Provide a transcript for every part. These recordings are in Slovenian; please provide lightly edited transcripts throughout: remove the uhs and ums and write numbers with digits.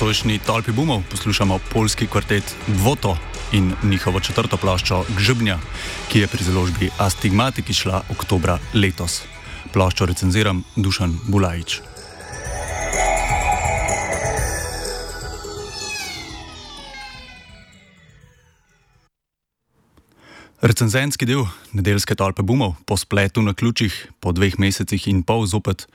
nocojšnji Tolpi bumov poslušamo poljski kvartet Bwoto in njihovo četrto ploščo Grzybnia, ki je pri založbi Astigmatic izšla oktobra letos. Ploščo recenziram Dušan Bulajić. Recenzentski del nedeljske Tolpe bumov po spletu na ključih po 2 mesecih in pol zopet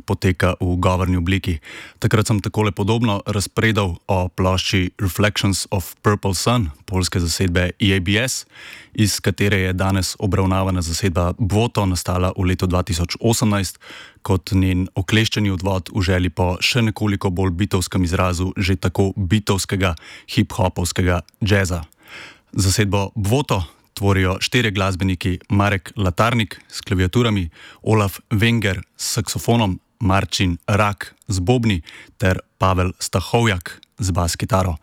poteka v govorni obliki. Takrat sem takole podobno razpredal o plošči Reflections of Purple Sun, poljske zasedbe EABS, iz katere je danes obravnavana zasedba Bwoto nastala v letu 2018 kot njen okleščeni odvod v želji po še nekoliko bolj bitovskem izrazu že tako bitovskega hip-hopovskega džeza. Zasedbo Bwoto tvorijo 4 glasbeniki: Marek Latarnik s klaviaturami, Olaf Wenger s saksofonom, Marcin Rak z bobni ter Pavel Stahovjak z bas kitaro.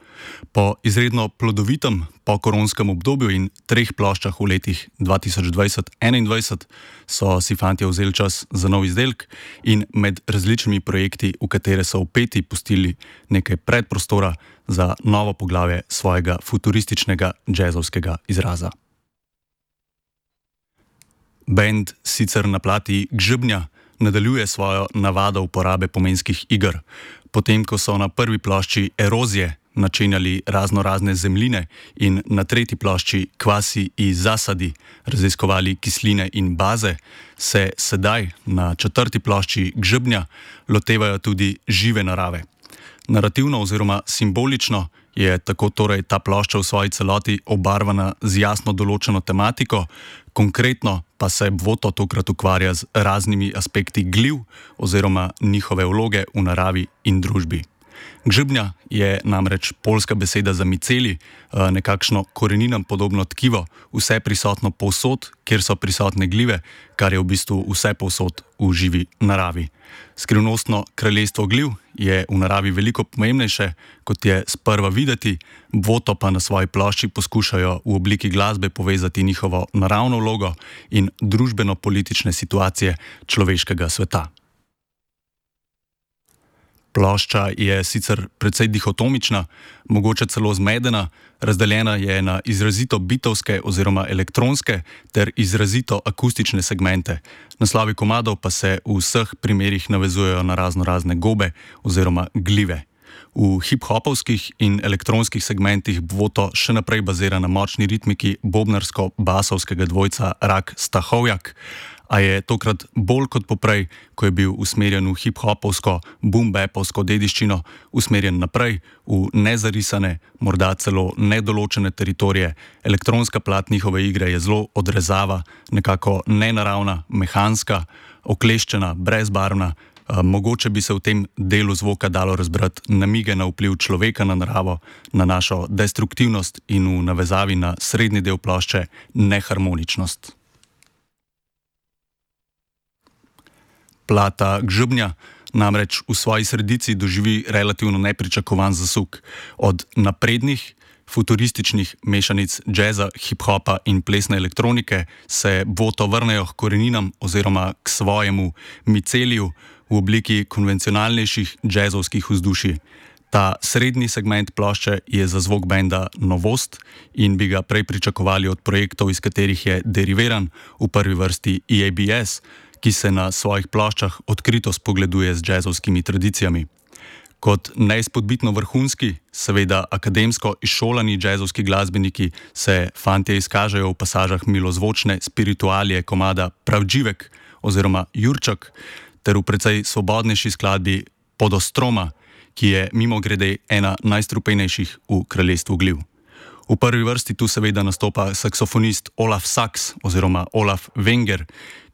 Po izredno plodovitem pokoronskem obdobju in 3 ploščah v letih 2020-2021 so si fantje vzeli čas za nov izdelek in med različnimi projekti, v katere so vpeti, pustili nekaj predprostora za novo poglavje svojega futurističnega džezovskega izraza. Band sicer na plati Grzybnia nadaljuje svojo navado uporabe pomenskih iger. Potem, ko so na prvi plošči Erozije načenjali raznorazne zemljine in na tretji plošči Kvasi i zasadi raziskovali kisline in baze, se sedaj na četrti plošči Grzybnia lotevajo tudi žive narave. Narativno oziroma simbolično je tako torej ta plošča v svoji celoti obarvana z jasno določeno tematiko, konkretno pa se Bwoto tokrat ukvarja z raznimi aspekti gliv oziroma njihove vloge v naravi in družbi. Grzybnia je namreč poljska beseda za miceli, nekakšno koreninam podobno tkivo, vse prisotno povsod, kjer so prisotne glive, kar je v bistvu vse povsod v živi naravi. Skrivnostno kraljestvo gliv je v naravi veliko pomembnejše, kot je sprva videti, Bwoto pa na svoji plošči poskušajo v obliki glasbe povezati njihovo naravno vlogo in družbeno-politične situacije človeškega sveta. Plošča je sicer precej dihotomična, mogoče celo zmedena, razdeljena je na izrazito bitovske oziroma elektronske ter izrazito akustične segmente. Naslovi komadov pa se v vseh primerih navezujejo na raznorazne gobe oziroma glive. V hip-hopovskih in elektronskih segmentih Bwoto še naprej bazira na močni ritmiki bobnarsko-basovskega dvojca Rak-Stahovjak, a je tokrat bolj kot poprej, ko je bil usmerjen v hip-hopovsko, boom-bapovsko dediščino, usmerjen naprej v nezarisane, morda celo nedoločene teritorije. Elektronska plat njihove igre je zelo odrezava, nekako nenaravna, mehanska, okleščena, brezbarvna. Mogoče bi se v tem delu zvoka dalo razbrati namige na vpliv človeka na naravo, na našo destruktivnost in v navezavi na srednji del plošče neharmoničnost. Plata Grzybnia namreč v svoji sredici doživi relativno nepričakovan zasuk. Od naprednih, futurističnih mešanic džeza, hip-hopa in plesne elektronike se Bwoto vrnejo k koreninam oziroma k svojemu miceliju v obliki konvencionalnejših džezovskih vzdušij. Ta srednji segment plošče je za zvok benda novost in bi ga prej pričakovali od projektov, iz katerih je deriviran, v prvi vrsti EABS, ki se na svojih ploščah odkrito spogleduje z džezovskimi tradicijami. Kot neizpodbitno vrhunski, seveda akademsko izšolani džezovski glasbeniki se fantje izkažejo v pasažah milozvočne spiritualije komada Pravdživek oziroma Jurčak ter v precej svobodnejši skladbi Podostroma, ki je mimogrede ena najstrupenejših v kraljestvu gliv. V prvi vrsti tu seveda nastopa saksofonist Olaf Saks oziroma Olaf Wenger,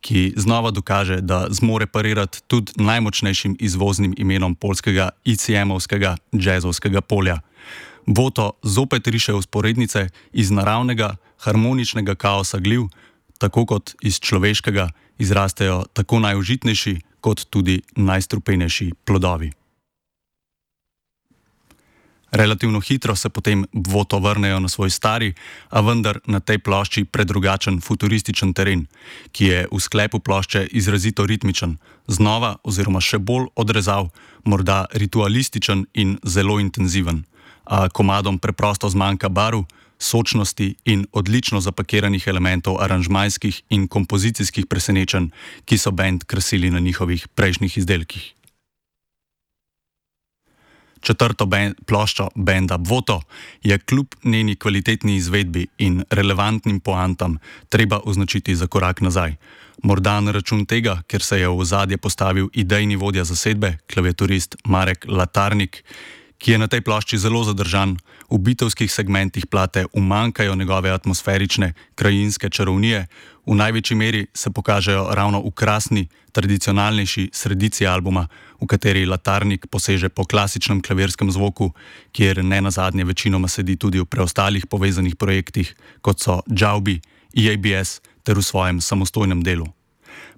ki znova dokaže, da zmore parirati tudi najmočnejšim izvoznim imenom poljskega ICM-ovskega džezovskega polja. Bwoto zopet riše vzporednice iz naravnega, harmoničnega kaosa gliv, tako kot iz človeškega izrastejo tako najužitnejši kot tudi najstrupenejši plodovi. Relativno hitro se potem Voto vrnejo na svoj stari, a vendar na tej plošči predrugačen futurističen teren, ki je v sklepu plošče izrazito ritmičen, znova oziroma še bolj odrezav, morda ritualističen in zelo intenziven, a komadom preprosto zmanjka barv, sočnosti in odlično zapakiranih elementov aranžmajskih in kompozicijskih presenečenj, ki so bend krasili na njihovih prejšnjih izdelkih. Četrto ploščo benda Voto je kljub njeni kvalitetni izvedbi in relevantnim poantam treba označiti za korak nazaj. Morda na račun tega, ker se je v ozadje postavil idejni vodja zasedbe, klaviaturist Marek Latarnik, ki je na tej plošči zelo zadržan, v bitovskih segmentih plate umanjkajo njegove atmosferične, krajinske čarovnije, v največji meri se pokažejo ravno v krasni, tradicionalnejši sredici albuma, v kateri Latarnik poseže po klasičnem klavirskem zvoku, kjer ne nazadnje večinoma sedi tudi v preostalih povezanih projektih, kot so Džaubi, EABS ter v svojem samostojnem delu.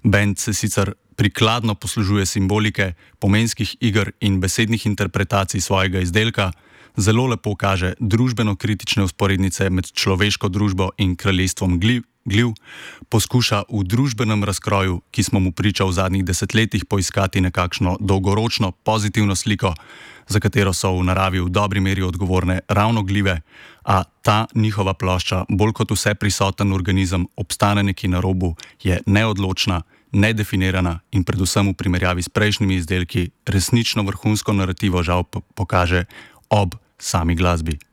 Bend se sicer prikladno poslužuje simbolike, pomenskih iger in besednih interpretacij svojega izdelka, zelo lepo kaže družbeno-kritične vzporednice med človeško družbo in kraljestvom gliv, poskuša v družbenem razkroju, ki smo mu priča v zadnjih desetletjih, poiskati nekakšno dolgoročno pozitivno sliko, za katero so v naravi v dobri meri odgovorne ravno glive, a ta njihova plošča, bolj kot vse prisoten organizem, obstane nekje na robu, je neodločna, nedefinirana in predvsem v primerjavi s prejšnjimi izdelki resnično vrhunsko narativo žal pokaže ob sami glasbi.